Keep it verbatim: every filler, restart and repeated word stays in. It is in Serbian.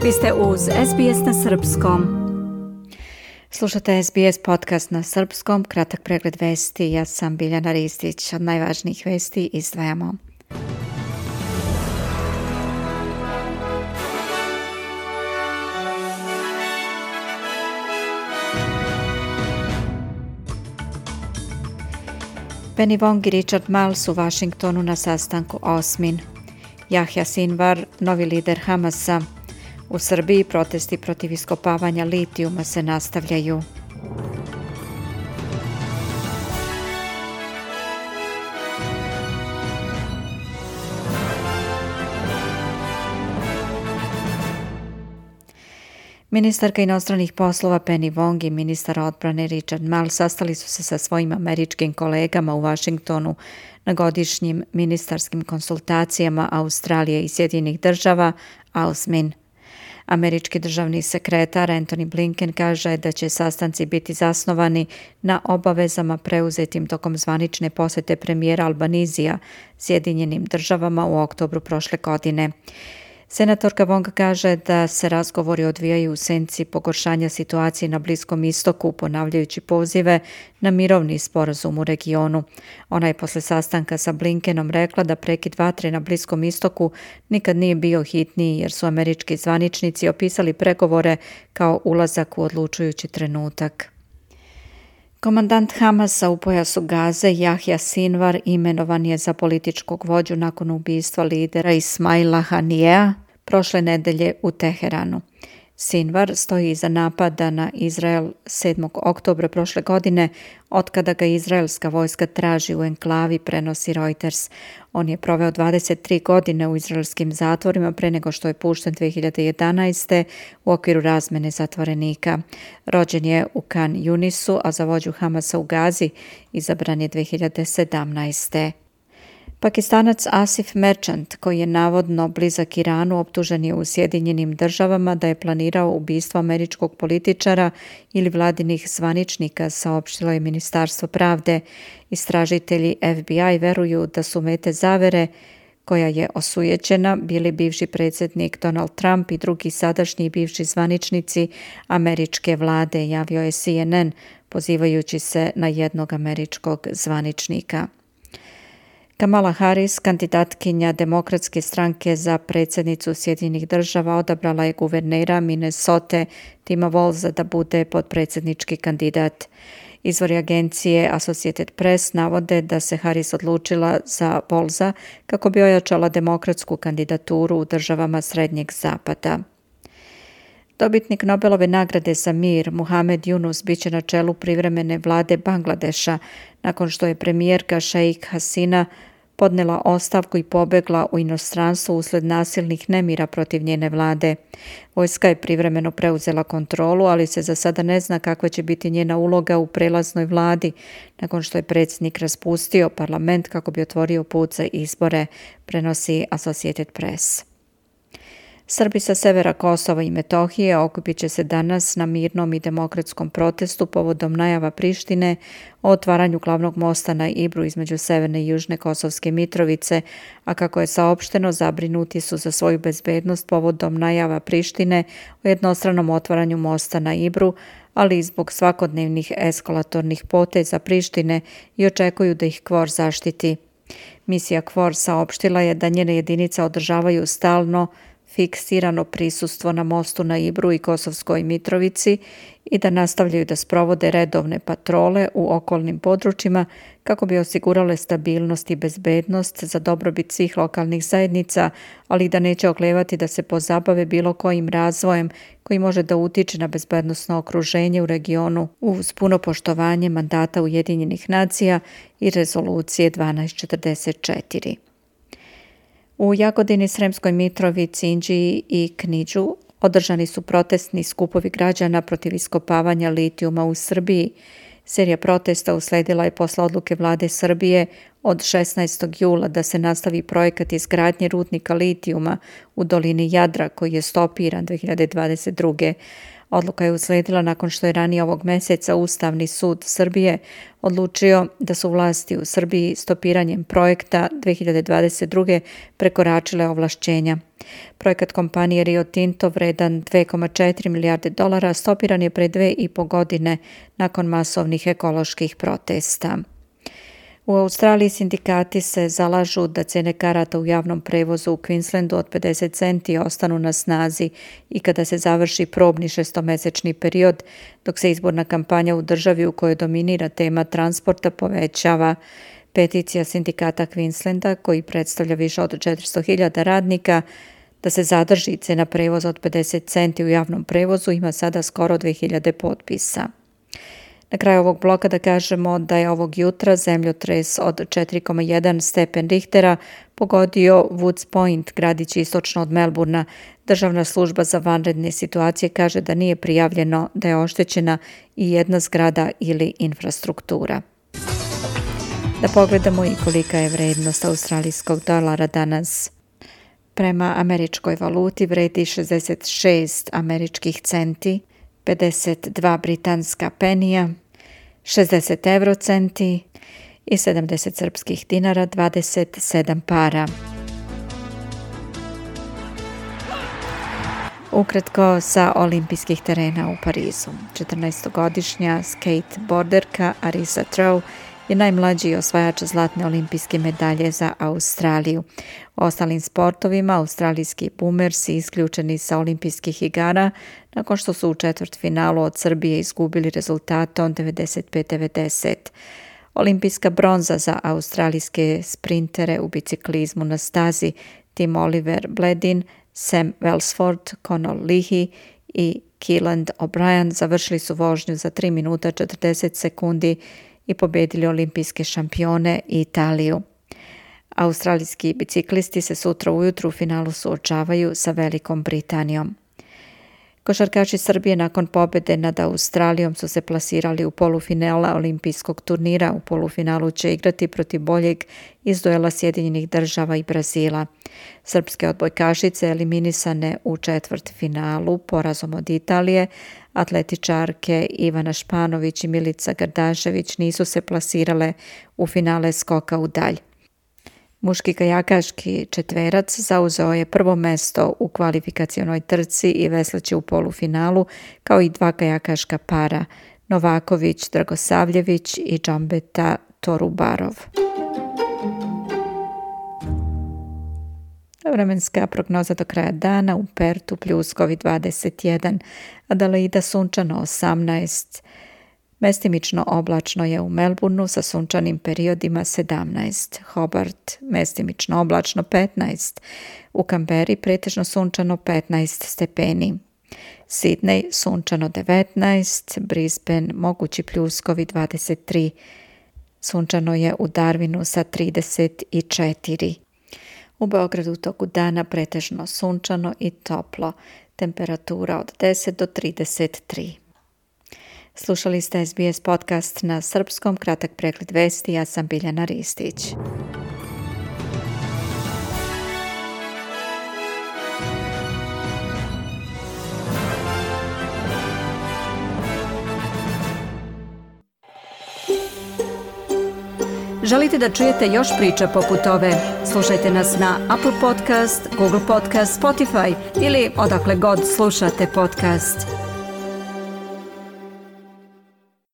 Vi ste uz S B S na srpskom. Slušate S B S podcast na srpskom, kratak pregled vesti. Ja sam Biljana Ristić. Od najvažnijih vesti izdvajamo. Penny Wong i Richard Marles u Washingtonu na sastanku osmin. Jahja Sinvar, novi lider Hamasa. U Srbiji protesti protiv iskopavanja litijuma se nastavljaju. Ministarka inostranih poslova Penny Wong i ministar odbrane Richard Marles sastali su se sa svojim američkim kolegama u Washingtonu na godišnjim ministarskim konsultacijama Australije i Sjedinjenih država, A U S M I N. Američki državni sekretar Antony Blinken kaže da će sastanci biti zasnovani na obavezama preuzetim tokom zvanične posjete premijera Albanizija Sjedinjenim državama u oktobru prošle godine. Senatorka Wong kaže da se razgovori odvijaju u senci pogoršanja situacije na Bliskom istoku, ponavljajući pozive na mirovni sporazum u regionu. Ona je posle sastanka sa Blinkenom rekla da prekid vatre na Bliskom istoku nikad nije bio hitniji jer su američki zvaničnici opisali pregovore kao ulazak u odlučujući trenutak. Komandant Hamasa u pojasu Gaze, Jahja Sinvar, imenovan je za političkog vođu nakon ubistva lidera Ismaila Hanijea prošle nedelje u Teheranu. Sinvar stoji iza napada na Izrael sedmog oktobra prošle godine, otkada ga izraelska vojska traži u enklavi, prenosi Reuters. On je proveo dvadeset tri godine u izraelskim zatvorima pre nego što je pušten dve hiljade jedanaeste. u okviru razmene zatvorenika. Rođen je u Khan Yunisu, a za vođu Hamasa u Gazi izabran je dve hiljade sedamnaeste. Pakistanac Asif Merchant, koji je navodno blizak Iranu, optužen je u Sjedinjenim državama da je planirao ubistvo američkog političara ili vladinih zvaničnika, saopštilo je Ministarstvo pravde. Istražitelji F B I veruju da su mete zavere koja je osujećena bili bivši predsjednik Donald Trump i drugi sadašnji bivši zvaničnici američke vlade, javio je C N N, pozivajući se na jednog američkog zvaničnika. Kamala Harris, kandidatkinja Demokratske stranke za predsjednicu Sjedinjenih država, odabrala je guvernera Minnesote Tima Walza da bude potpredsjednički kandidat. Izvori agencije Associated Press navode da se Harris odlučila za Walza kako bi ojačala demokratsku kandidaturu u državama Srednjeg zapada. Dobitnik Nobelove nagrade za mir Muhammad Yunus biće na čelu privremene vlade Bangladeša nakon što je premijerka Sheikh Hasina podnela ostavku i pobegla u inostranstvo usled nasilnih nemira protiv njene vlade. Vojska je privremeno preuzela kontrolu, ali se za sada ne zna kakva će biti njena uloga u prelaznoj vladi nakon što je predsjednik raspustio parlament kako bi otvorio put za izbore, prenosi Associated Press. Srbi sa severa Kosova i Metohije okupit će se danas na mirnom i demokratskom protestu povodom najava Prištine o otvaranju glavnog mosta na Ibru između severne i južne Kosovske Mitrovice, a kako je saopšteno, zabrinuti su za svoju bezbednost povodom najava Prištine o jednostranom otvaranju mosta na Ibru, ali i zbog svakodnevnih eskalatornih poteza Prištine i očekuju da ih KFOR zaštiti. Misija KFOR saopštila je da njene jedinice održavaju stalno fiksirano prisustvo na mostu na Ibru i Kosovskoj Mitrovici i da nastavljaju da sprovode redovne patrole u okolnim područjima kako bi osigurale stabilnost i bezbednost za dobrobit svih lokalnih zajednica, ali da neće oklevati da se pozabave bilo kojim razvojem koji može da utiče na bezbednosno okruženje u regionu uz puno poštovanje mandata Ujedinjenih nacija i rezolucije dvanaest četrdeset četiri. U Jagodini, Sremskoj Mitrovici, Inđiji i Kniđu održani su protestni skupovi građana protiv iskopavanja litijuma u Srbiji. Serija protesta usledila je posle odluke vlade Srbije od šesnaestog jula da se nastavi projekat izgradnje rudnika litijuma u dolini Jadra koji je stopiran dve hiljade dvadeset druge. Odluka je usledila nakon što je ranije ovog meseca Ustavni sud Srbije odlučio da su vlasti u Srbiji stopiranjem projekta dve hiljade dvadeset druge prekoračile ovlašćenja. Projekat kompanije Rio Tinto vredan dve zarez četiri milijarde dolara stopiran je pre dve i po godine nakon masovnih ekoloških protesta. U Australiji sindikati se zalažu da cene karata u javnom prevozu u Queenslandu od pedeset centi ostanu na snazi i kada se završi probni šestomesečni period, dok se izborna kampanja u državi u kojoj dominira tema transporta povećava. Peticija sindikata Queenslanda, koji predstavlja više od četiristo hiljada radnika, da se zadrži cena prevoza od pedeset centi u javnom prevozu, ima sada skoro dve hiljade potpisa. Na kraju ovog bloka da kažemo da je ovog jutra zemljotres od četiri zarez jedan stepen Richtera pogodio Woods Point, gradić istočno od Melbourna. Državna služba za vanredne situacije kaže da nije prijavljeno da je oštećena i jedna zgrada ili infrastruktura. Da pogledamo i kolika je vrednost australijskog dolara danas. Prema američkoj valuti vredi šezdeset šest američkih centi, pedeset dva britanska penija, šezdeset eurocenti i sedamdeset srpskih dinara, dvadeset sedam para. Ukratko sa olimpijskih terena u Parizu. četrnaestogodišnja skateboarderka Arisa Trow je najmlađi osvajač zlatne olimpijske medalje za Australiju. U ostalim sportovima australijski boomersi isključeni sa olimpijskih igara nakon što su u četvrtfinalu od Srbije izgubili rezultatom devedeset pet devedeset. Olimpijska bronza za australijske sprintere u biciklizmu na stazi Tim Oliver Bledin, Sam Welsford, Conor Leahy i Keelan O'Brien završili su vožnju za tri minuta četrdeset sekundi i pobedili olimpijske šampione i Italiju. Australijski biciklisti se sutra ujutru u finalu suočavaju sa Velikom Britanijom. Košarkaši Srbije nakon pobjede nad Australijom su se plasirali u polufinala olimpijskog turnira. U polufinalu će igrati protiv boljeg iz duela Sjedinjenih Država i Brazila. Srpske odbojkašice eliminisane u četvrtfinalu porazom od Italije, atletičarke Ivana Španović i Milica Gardašević nisu se plasirale u finale skoka u dalj. Muški kajakaški četverac zauzeo je prvo mesto u kvalifikacionoj trci i vesleće u polufinalu, kao i dva kajakaška para, Novaković Dragosavljević i Džambeta Torubarov. Vremenska prognoza do kraja dana: u Pertu pljuskovi dvadeset jedan, Adelaida sunčano osamnaest, mestimično oblačno je u Melbourneu sa sunčanim periodima sedamnaest, Hobart mestimično oblačno petnaest, u Kamberi pretežno sunčano petnaest stepeni, Sidney sunčano devetnaest, Brisbane mogući pljuskovi dvadeset tri, sunčano je u Darwinu sa trideset četiri. U Beogradu toku dana pretežno sunčano i toplo, temperatura od deset do trideset tri. Slušali ste S B S podcast na srpskom, kratak pregled vesti, ja sam Biljana Ristić. Želite da čujete još priča poput ove? Slušajte nas na Apple Podcast, Google Podcast, Spotify ili odakle god slušate podcast.